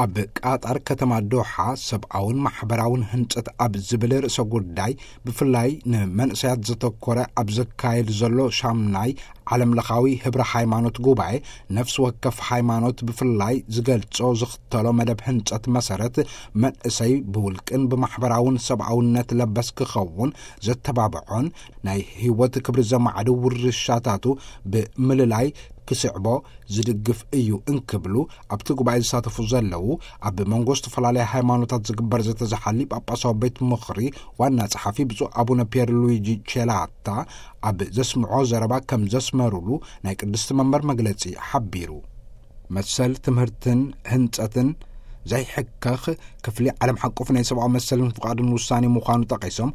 ኣብ ቃጣር ከተማ ዶሓ ሰብኣውን ማሕበራውን ህንጸት ኣብ ዝብል ርእሰ ጉዳይ፣ ብፍላይ ንመንእሰያት ዘተኮረ ኣብ ዘካየድ ዘሎ ሻምናይ ዓለም ለኻዊ ህብረ ሃይማኖት ጉባኤ፣ ነፍሲ ወከፍ ሃይማኖት ብፍላይ ዝገልጾ ዝኽተሎ መደብ ህንጸት መሰረት፣ መንእሰይ ብውልቅን ብማሕበራውን ሰብኣውነት ለበስ ክኸውን ዘተባብዖን ናይ ህይወት ክብሪ ዘማዕድ ውርሻታቱ ብምልላይ ክስዕቦ ዝድግፍ እዩ እንክብሉ ኣብቲ ጉባኤ ዝሳተፉ ዘለዉ ኣብ መንጎ ዝተፈላለያ ሃይማኖታት ዝግበር ዘተዝሓሊ ጳጳሳዊ ቤት ምኽሪ ዋና ጸሓፊ ብፁዕ ኣቡነ ፒየር ሉዊጂ ቼላታ ኣብ ዘስምዖ ዘረባ ከም ዘስመሩሉ ናይ ቅድስቲ መንበር መግለጺ ሓቢሩ። መሰል ትምህርትን ህንጸትን ዘይሕከኽ ክፍሊ ዓለም ሓቆፍ ናይ ሰብኣዊ መሰልን ፍቓድን ውሳኔ ምዃኑ ጠቒሶም፣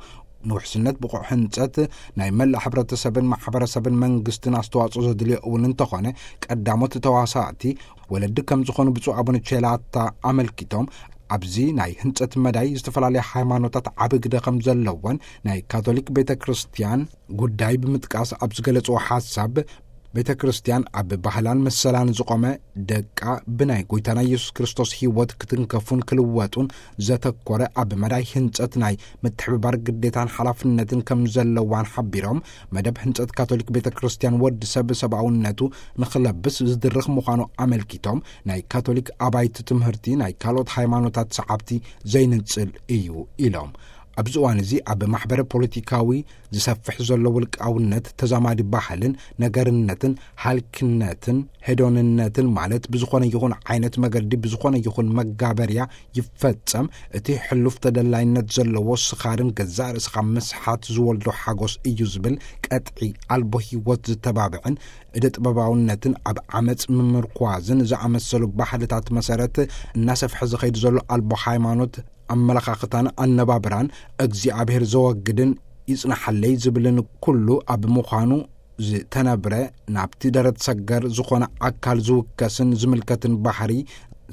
ንውሕስነት ብቑዕ ህንጸት ናይ መላእ ሕብረተሰብን ማሕበረሰብን መንግስትን ኣስተዋጽኦ ዘድልዮ እውን እንተኾነ፣ ቀዳሞት ተዋሳእቲ ወለዲ ከም ዝኾኑ ብፁዕ ኣቡነ ቼላታ ኣመልኪቶም፣ ኣብዚ ናይ ህንጸት መዳይ ዝተፈላለያ ሃይማኖታት ዓቢ ግደ ከም ዘለወን ናይ ካቶሊክ ቤተ ክርስቲያን ጉዳይ ብምጥቃስ ኣብ ዝገለጽዎ ሓሳብ፣ ቤተ ክርስቲያን ኣብ ባህላን መሰላን ዝቖመ፣ ደቃ ብናይ ጎይታና ኢየሱስ ክርስቶስ ህይወት ክትንከፉን ክልወጡን ዘተኮረ፣ ኣብ መዳይ ህንጸት ናይ ምትሕብባር ግዴታን ሓላፍነትን ከም ዘለዋን ሓቢሮም፣ መደብ ህንጸት ካቶሊክ ቤተ ክርስቲያን ወዲ ሰብ ሰብኣውነቱ ንኽለብስ ዝድርኽ ምዃኑ ኣመልኪቶም፣ ናይ ካቶሊክ ኣባይቲ ትምህርቲ ናይ ካልኦት ሃይማኖታት ሰዓብቲ ዘይንጽል እዩ ኢሎም። ኣብዚ እዋን እዚ ኣብ ማሕበረ ፖለቲካዊ ዝሰፍሕ ዘሎ ውልቃውነት፣ ተዛማዲ ባህልን ነገርነትን ሃልክነትን ሄዶንነትን፣ ማለት ብዝኾነ ይኹን ዓይነት መገዲ ብዝኾነ ይኹን መጋበርያ ይፈጸም፣ እቲ ሕሉፍ ተደላይነት ዘለዎ ስኻርን ገዛእ ርእስኻ ምስሓት ዝወልዶ ሓጎስ እዩ ዝብል ቀጥዒ ኣልቦ ህይወት ዝተባብዕን እደ ጥበባውነትን ኣብ ዓመጽ ምምርኳዝን ዝኣመሰሉ ባህልታት መሰረት እናሰፍሐ ዝኸይድ ዘሎ ኣልቦ ሃይማኖት ኣመለኻኽታን ኣነባብራን እግዚኣብሔር ዘወግድን ይጽናሓለይ ዝብልን ኩሉ ኣብ ምዃኑ ዝተነብረ፣ ናብቲ ደረት ሰገር ዝኾነ ኣካል ዝውከስን ዝምልከትን ባህሪ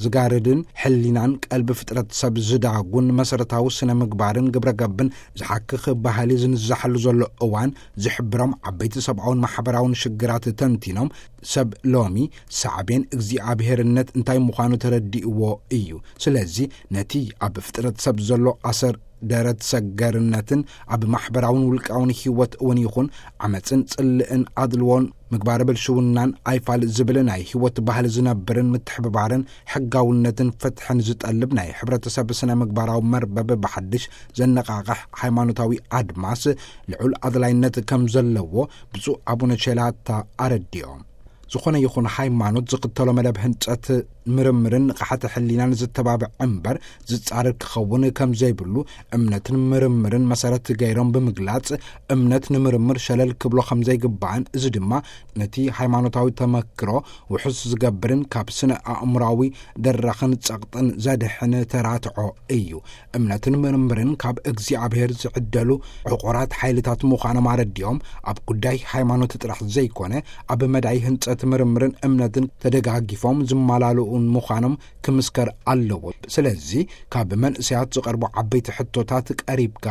ዝጋርድን ሕሊናን ቀልቢ ፍጥረት ሰብ ዝዳጉን መሰረታዊ ስነ ምግባርን ግብረ ገብን ዝሓክኽ ባህሊ ዝንዛሓሉ ዘሎ እዋን ዝሕብሮም ዓበይቲ ሰብኣውን ማሕበራውን ሽግራት ተንቲኖም፣ ሰብ ሎሚ ሳዕቤን እግዚኣብሔርነት እንታይ ምዃኑ ተረዲእዎ እዩ። ስለዚ ነቲ ኣብ ፍጥረት ሰብ ዘሎ ኣሰር ደረት ሰገርነትን ኣብ ማሕበራውን ውልቃውን ህይወት እውን ይኹን ዓመፅን ጽልእን ኣድልዎን ምግባረ ብልሽውናን ኣይፋል ዝብል ናይ ህይወት ባህሊ ዝነብርን ምትሕብባርን ሕጋውነትን ፍትሕን ዝጠልብ ናይ ሕብረተሰብ ስነ ምግባራዊ መርበብ ብሓድሽ ዘነቓቕሕ ሃይማኖታዊ ኣድማስ ልዑል ኣድላይነት ከም ዘለዎ ብፁዕ ኣቡነ ቼላታ ኣረዲኦም። ዝኾነ ይኹን ሃይማኖት ዝኽተሎ መደብ ህንጸት ምርምርን ንቕሓተ ሕሊናን ዝተባብዕ እምበር ዝጻረር ክኸውን ከም ዘይብሉ እምነትን ምርምርን መሰረት ገይሮም ብምግላጽ፣ እምነት ንምርምር ሸለል ክብሎ ከም ዘይግባእን፣ እዚ ድማ ነቲ ሃይማኖታዊ ተመክሮ ውሑስ ዝገብርን ካብ ስነ ኣእምራዊ ደራኽን ጸቕጥን ዘድሕን ተራትዖ እዩ። እምነትን ምርምርን ካብ እግዚኣብሔር ዝዕደሉ ዕቑራት ሓይልታት ምዃኖም ኣረዲኦም፣ ኣብ ጉዳይ ሃይማኖት ጥራሕ ዘይኮነ፣ ኣብ መዳይ ህንጸት ምርምርን እምነትን ተደጋጊፎም ዝመላልኡን ምዃኖም ክምስከር ኣለዎ። ስለዚ ካብ መንእሰያት ዝቐርቡ ዓበይቲ ሕቶታት ቀሪብካ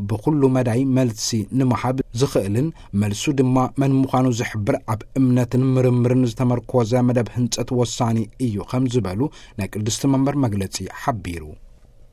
ብኹሉ መዳይ መልሲ ንምሃብ ዝኽእልን መልሱ ድማ መን ምዃኑ ዝሕብር ኣብ እምነትን ምርምርን ዝተመርኮዘ መደብ ህንጸት ወሳኒ እዩ ከም ዝበሉ ናይ ቅድስቲ መንበር መግለጺ ሓቢሩ።